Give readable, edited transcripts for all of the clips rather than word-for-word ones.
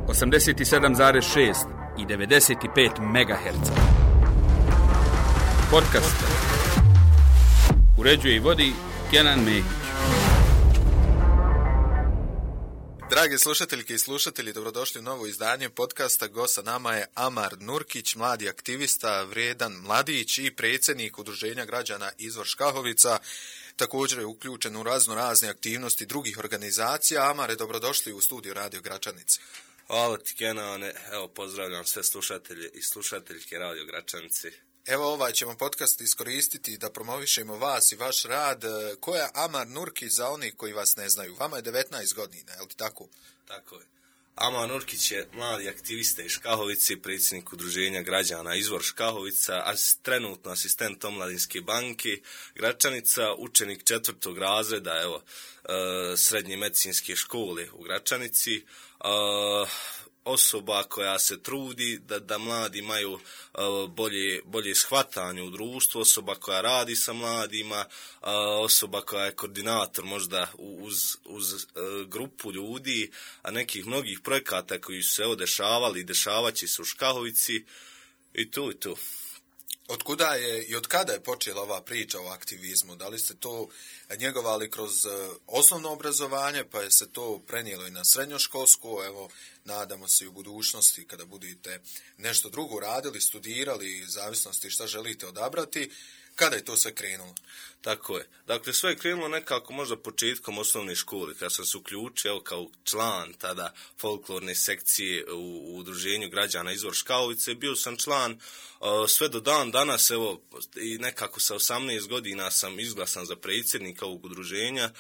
87,6 i 95 MHz. Podcast uređuje i vodi Kenan Mehić. Dragi slušateljke i slušatelji, dobrodošli u novo izdanje podcasta. Gost sa nama je Amar Nurkić, mladi aktivista, vrijedan mladić i predsjednik Udruženja građana Izvor Škahovica. Također je uključen u razne aktivnosti drugih organizacija. Amare, dobrodošli u studiju Radio Gračanice. Hvala ti, Kenane. Evo, pozdravljam sve slušatelje i slušateljke Radio Gračanice. Evo, ovaj ćemo podcast iskoristiti da promovišemo vas i vaš rad. Ko je Amar Nurkić za oni koji vas ne znaju? Vama je 19 godina, je li tako? Tako je. Amar Nurkić je mladi aktivista iz Škahovice, predsjednik Udruženja građana Izvor Škahovica, trenutno asistent Omladinske banke Gračanica, učenik 4. razreda, evo, srednje medicinske škole u Gračanici, osoba koja se trudi da mladi imaju bolje shvatanje u društvu, osoba koja radi sa mladima, osoba koja je koordinator možda uz grupu ljudi, a nekih mnogih projekata koji su se evo dešavali i dešavaće se u Škahovici i tu. Otkuda je i od kada je počela ova priča o aktivizmu? Da li ste to njegovali kroz osnovno obrazovanje, pa je se to prenijelo i na srednjoškolsko? Evo, nadamo se i u budućnosti kada budete nešto drugo radili, studirali, zavisnosti šta želite odabrati. Kada je to sve krenulo? Tako je. Dakle, sve je krenulo nekako možda početkom osnovne škole, kada sam se uključio kao član tada folklorne sekcije u Udruženju građana Izvor Škahovice. Bio sam član sve do dan danas, evo, i nekako sa 18 godina sam izglasan za predsjednika ovog udruženja.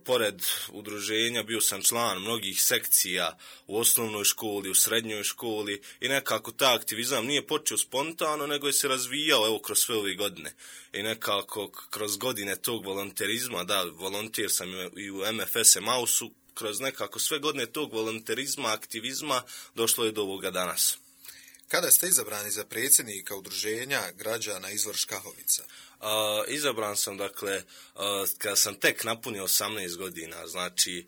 Pored udruženja bio sam član mnogih sekcija u osnovnoj školi, u srednjoj školi i nekako ta aktivizam nije počeo spontano, nego je se razvijao evo kroz sve ove godine. I nekako kroz godine tog volonterizma, da, volonter sam i u MFS Mausu, kroz nekako sve godine tog volonterizma, aktivizma, došlo je do ovoga danas. Kada ste izabrani za predsjednika Udruženja građana Izvor Škahovica? Izabran sam, dakle, kada sam tek napunio 18 godina, znači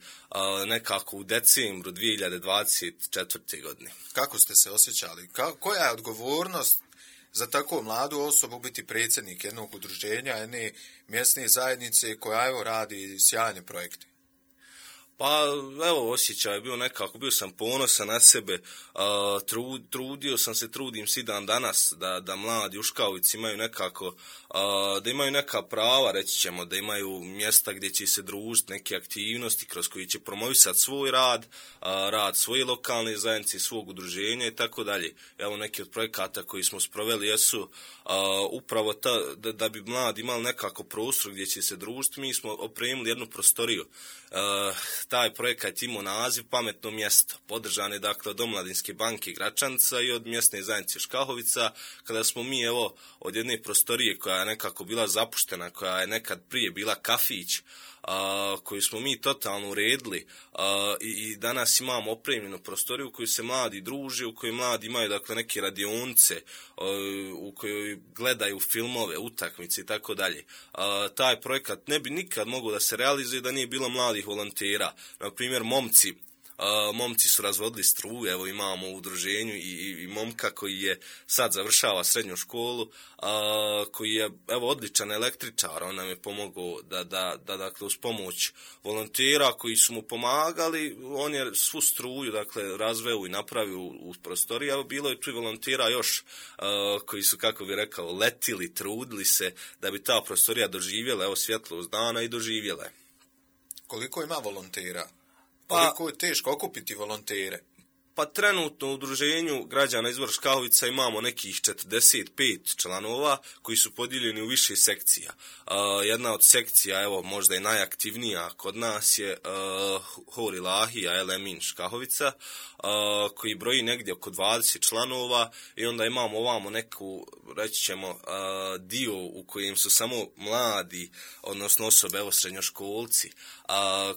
nekako u decembru 2024. godine. Kako ste se osjećali? Koja je odgovornost za tako mladu osobu biti predsjednik jednog udruženja, jedne mjesne zajednice koja evo radi sjajne projekte? Pa evo, osjećaj je bio nekako, bio sam ponosan na sebe, trudio sam se, trudim se i dan danas da mladi u Škahovici imaju nekako, da imaju neka prava, reći ćemo, da imaju mjesta gdje će se družiti, neke aktivnosti kroz koji će promovisati svoj rad, rad svoje lokalne zajednice, svog udruženja i tako dalje. Evo, neki od projekata koji smo sproveli jesu upravo da bi mladi imali nekako prostor gdje će se družiti. Mi smo opremili jednu prostoriju. Taj projekat imao naziv Pametno mjesto. Podržan je dakle od Omladinske banke Gračanica i od mjesne zajednice Škahovica, kada smo mi evo od jedne prostorije koja je nekako bila zapuštena, koja je nekad prije bila kafić, koju smo mi totalno uredili i danas imamo opremljenu prostoriju u kojoj se mladi druže, u kojoj mladi imaju dakle neke radionice, u kojoj gledaju filmove, utakmice i tako dalje. Taj projekat ne bi nikad mogao da se realizuje da nije bilo mladih volontera. Na primjer, momci su razvodili struju, evo imamo u udruženju i momka koji je sad završava srednju školu, koji je evo odličan električar, on nam je pomogao da dakle uz pomoć volontera koji su mu pomagali, on je svu struju dakle razveo i napravio u prostoriji, a bilo je tu i volontera još koji su, kako bi rekao, letili, trudili se da bi ta prostorija doživjela, evo svjetlost dana i doživjela. Koliko ima volontera? Koliko je teško okupiti volontere? Pa trenutno u Udruženju građana Izvor Škahovica imamo nekih 45 članova koji su podijeljeni u više sekcija. Jedna od sekcija, evo možda i najaktivnija kod nas je Hor Ilahija Elemin Škahovica, koji broji negdje oko 20 članova i onda imamo ovamo neku, reći ćemo, dio u kojem su samo mladi, odnosno osobe, evo srednjoškolci,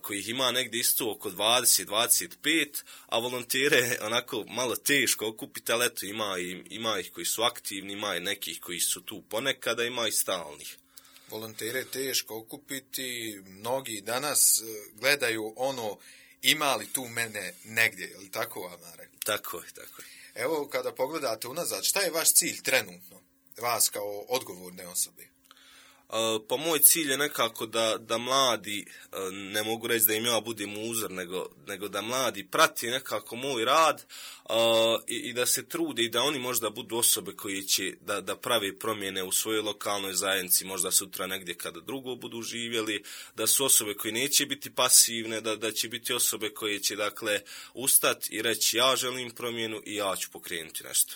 kojih ima negdje isto oko 20-25, a volontere onako malo teško okupiti, ali eto ima ih koji su aktivni, ima i nekih koji su tu ponekada, ima i stalnih. Volontere je teško okupiti, mnogi danas gledaju ono ima li tu mene negdje, je li tako, Amare? Tako je. Evo, kada pogledate unazad, šta je vaš cilj trenutno, vas kao odgovorne osobe? Pa moj cilj je nekako da mladi, ne mogu reći da im ja budem uzor, nego da mladi prati nekako moj rad i da se trude i da oni možda budu osobe koji će da prave promjene u svojoj lokalnoj zajednici, možda sutra negdje kada drugo budu živjeli, da su osobe koje neće biti pasivne, da će biti osobe koje će dakle ustati i reći ja želim promjenu i ja ću pokrenuti nešto.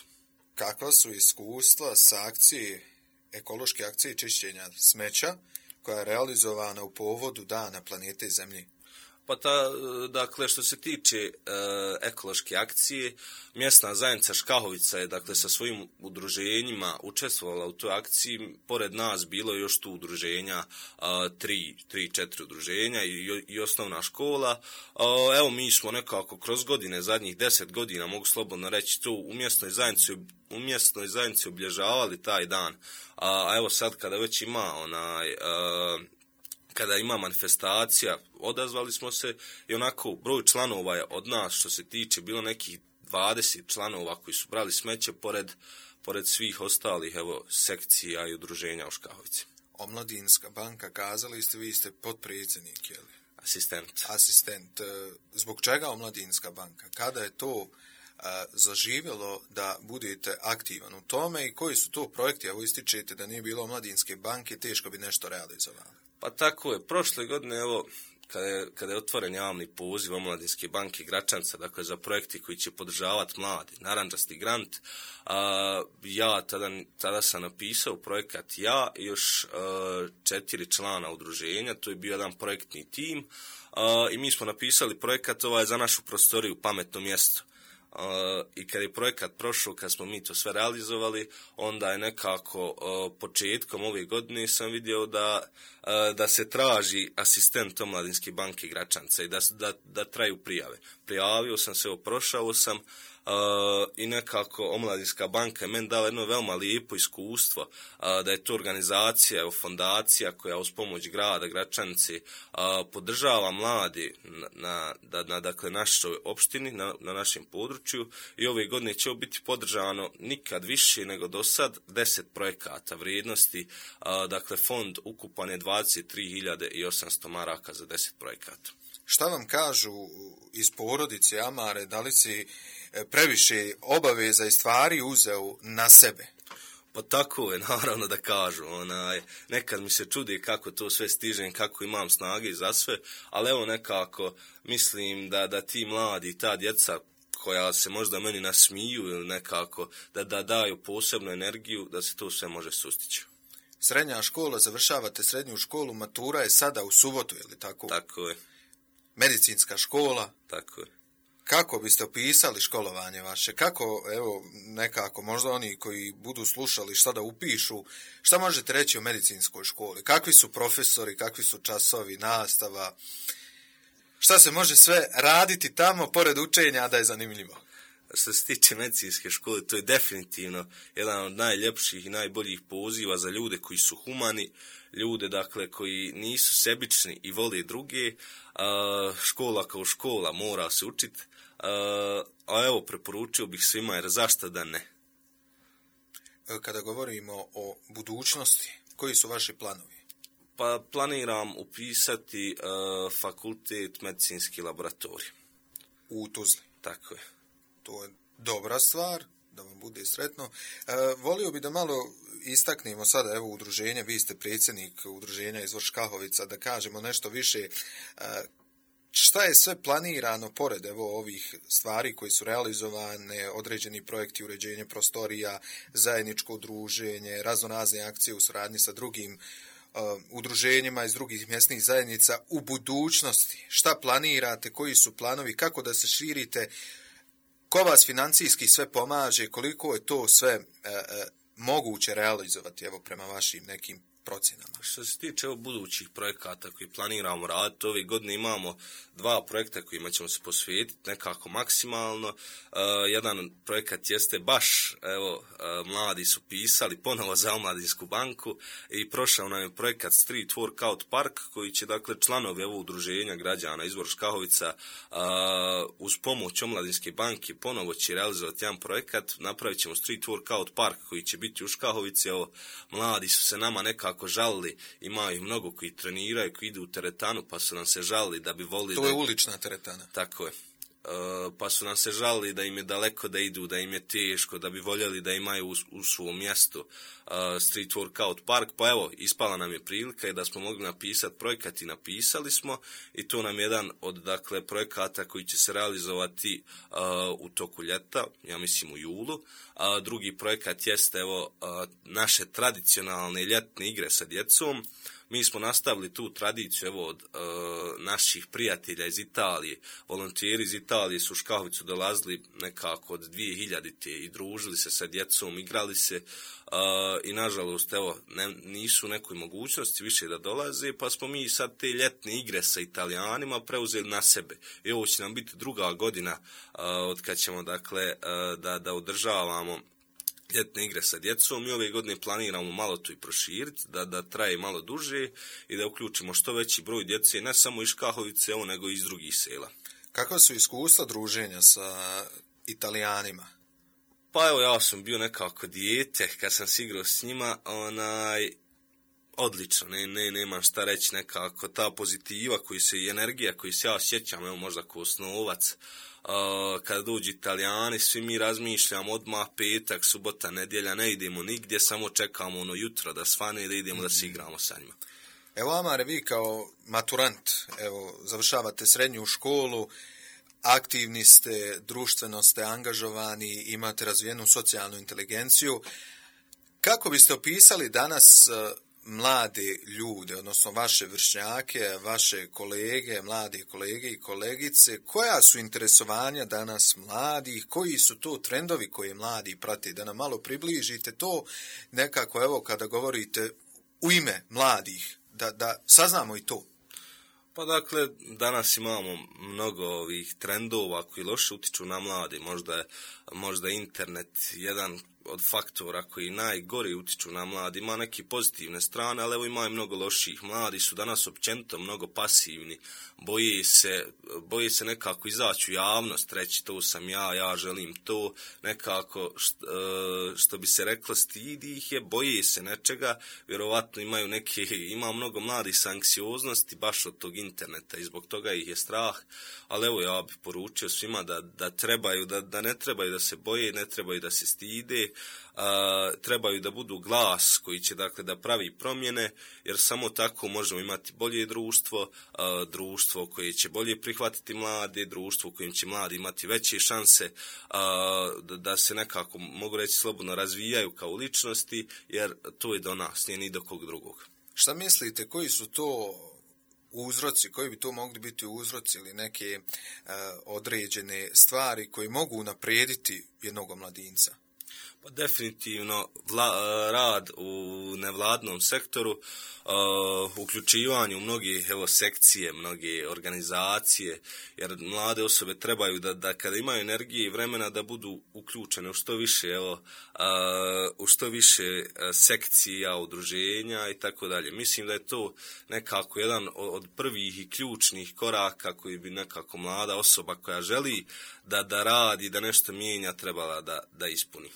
Kakva su iskustva s akcije ekološke akcije čišćenja smeća koja je realizovana u povodu Dana planete Zemlje? Pa dakle, što se tiče ekološke akcije, mjesna zajednica Škahovica je dakle sa svojim udruženjima učestvovala u toj akciji. Pored nas bilo je još tu udruženja, 3-4 udruženja i osnovna škola. Evo, mi smo nekako kroz godine, zadnjih 10 godina, mogu slobodno reći, tu u mjesnoj zajednici obilježavali taj dan. A evo sad kada već ima kada ima manifestacija, odazvali smo se i onako broj članova je od nas, što se tiče, bilo nekih 20 članova koji su brali smeće pored svih ostalih sekcija i udruženja u Škahovici. Omladinska banka, kazali ste, vi ste potpredsjednik, je li? Asistent. Zbog čega Omladinska banka? Kada je to zaživjelo da budete aktivan u tome i koji su to projekti? Evo, ističete da nije bilo Omladinske banke, teško bi nešto realizovali. Pa tako je. Prošle godine, evo, kada je otvoren javni poziv Omladinske banke Gračanca, dakle za projekti koji će podržavati mladi, narandžasti grant, ja tada sam napisao projekat ja i još 4 člana udruženja, to je bio jedan projektni tim i mi smo napisali projekat za našu prostoriju Pametno mjesto. I kad je projekat prošao, kad smo mi to sve realizovali, onda je nekako početkom ove godine sam vidio da se traži asistent Omladinske banke Gračanca i da traju prijave. Prijavio sam se, prošao sam i nekako Omladinska banka je meni dala jedno veoma lijepo iskustvo, da je to organizacija, fondacija koja uz pomoć grada Gračanice podržava mladi na dakle, našoj opštini, na našem području i ove godine će biti podržano nikad više nego do sad 10 projekata vrijednosti, dakle fond ukupan je 23.800 maraka za 10 projekata. Šta vam kažu iz porodice, Amare, da li si previše obaveza i stvari uzeo na sebe? Pa tako je, naravno da kažu. Nekad mi se čudi kako to sve stižem, kako imam snage za sve, ali evo nekako mislim da ti mladi, ta djeca koja se možda meni nasmiju ili nekako da daju posebnu energiju, da se to sve može sustići. Srednja škola, završavate srednju školu, matura je sada u subotu, je li tako? Tako je. Medicinska škola. Tako je. Kako biste opisali školovanje vaše? Kako, evo, nekako, možda oni koji budu slušali šta da upišu, šta možete reći o medicinskoj školi? Kakvi su profesori, kakvi su časovi, nastava? Šta se može sve raditi tamo, pored učenja, da je zanimljivo? Što se tiče medicinske škole, to je definitivno jedan od najljepših i najboljih poziva za ljude koji su humani, ljude dakle koji nisu sebični i vole druge. Škola kao škola mora se učiti, a evo preporučio bih svima, jer zašto da ne? Kada govorimo o budućnosti, koji su vaši planovi? Pa planiram upisati fakultet medicinski laboratorij. U Tuzli? Tako je. To je dobra stvar, da vam bude sretno. Volio bi da malo istaknemo sada, evo, udruženje, vi ste predsjednik udruženja iz Škahovica, da kažemo nešto više. Šta je sve planirano pored evo ovih stvari koji su realizovane, određeni projekti uređenja prostorija, zajedničko druženje, raznorazne akcije u suradnji sa drugim udruženjima iz drugih mjesnih zajednica u budućnosti? Šta planirate, koji su planovi, kako da se širite, ko vas financijski sve pomaže, koliko je to sve moguće realizovati, evo, prema vašim nekim procjenama? Što se tiče budućih projekata koji planiramo raditi, ove godine imamo 2 projekta kojima ćemo se posvetiti nekako maksimalno. Jedan projekat jeste baš, mladi su pisali ponovo za Omladinsku banku i prošao nam je projekat Street Workout Park koji će, dakle, članovi ovog udruženja građana Izvor Škahovica uz pomoć Omladinske banke ponovo će realizovati jedan projekat. Napravit ćemo Street Workout Park koji će biti u Škahovici. Mladi su se nama nekako žalili, ima ih mnogo koji treniraju, koji idu u teretanu, pa su nam se žalili da bi volili... To je ulična teretana. Tako je. Pa su nam se žalili da im je daleko da idu, da im je teško, da bi voljeli da imaju u svom mjestu Street Workout Park. Pa evo, ispala nam je prilika i da smo mogli napisati projekat i napisali smo i to nam je jedan od, dakle, projekata koji će se realizovati u toku ljeta, ja mislim u julu. Drugi projekat jeste naše tradicionalne ljetne igre sa djecom. Mi smo nastavili tu tradiciju od naših prijatelja iz Italije. Volontijeri iz Italije su u Škahovicu dolazili nekako od 2000. i družili se sa djecom, igrali se i nažalost nisu u nekoj mogućnosti više da dolaze, pa smo mi sad te ljetne igre sa Italijanima preuzeli na sebe. I ovo će nam biti 2. godina od kad ćemo, dakle, da održavamo ljetne igre sa djecom. Mi ove godine planiramo malo to i proširiti, da traje malo duže i da uključimo što veći broj djece, ne samo iz Škahovice, nego i iz drugih sela. Kakva su iskustva druženja sa Italijanima? Pa evo, ja sam bio nekako dijete kad sam se igrao s njima, odlično, nemam šta reći, nekako ta pozitiva i energija koju se ja sjećam, možda kao osnovac, kada dođu Italijani, svi mi razmišljamo odmah petak, subota, nedjelja, ne idemo nigdje, samo čekamo jutro da svane i da idemo da se igramo sa njima. Evo, Amare, vi kao maturant, završavate srednju školu, aktivni ste, društveno ste angažovani, imate razvijenu socijalnu inteligenciju. Kako biste opisali danas mlade ljude, odnosno vaše vršnjake, vaše kolege, mlade kolege i kolegice, koja su interesovanja danas mladih, koji su to trendovi koje mladi prate, da nam malo približite to nekako, kada govorite u ime mladih, da saznamo i to. Pa dakle, danas imamo mnogo ovih trendova koji loše utiču na mlade, možda internet jedan od faktora koji najgori utiču na mladi, ima neke pozitivne strane, ali ima i mnogo loših. Mladi su danas općenito mnogo pasivni, boje se nekako izaći u javnost, reći to sam ja želim to, nekako što bi se reklo stidi ih je, boje se nečega, vjerovatno ima mnogo mladih s anksioznosti baš od tog interneta i zbog toga ih je strah, ali evo ja bih poručio svima da ne trebaju da se boje, ne trebaju da se stide, trebaju da budu glas koji će, dakle, da pravi promjene, jer samo tako možemo imati bolje društvo koje će bolje prihvatiti mlade, društvo u kojem će mladi imati veće šanse da se nekako, mogu reći slobodno, razvijaju kao ličnosti, jer to je do nas, nije ni do kog drugog. Šta mislite, koji su to uzroci, koji bi to mogli biti uzroci ili neke određene stvari koji mogu unaprijediti jednog mladinca? Pa definitivno rad u nevladnom sektoru, uključivanje u mnoge sekcije, mnoge organizacije, jer mlade osobe trebaju da kada imaju energije i vremena da budu uključene u što više sekcija, udruženja i tako dalje. Mislim da je to nekako jedan od prvih i ključnih koraka koji bi nekako mlada osoba koja želi da radi, da nešto mijenja, trebala da ispuni.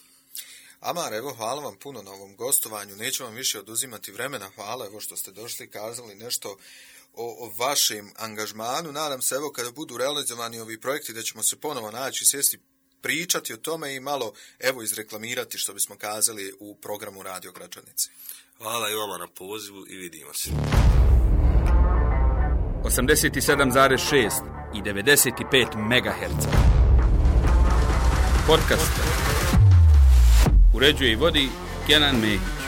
Amar, hvala vam puno na ovom gostovanju, neću vam više oduzimati vremena, hvala što ste došli i kazali nešto o vašem angažmanu. Nadam se kada budu realizovani ovi projekti da ćemo se ponovo naći, sjesti, pričati o tome i malo izreklamirati što bismo kazali u programu Radio Gračanice. Hvala i vama na pozivu i vidimo se. 87,6 i 95 MHz. Podcast. Uređuje i vodi Kenan Mehić.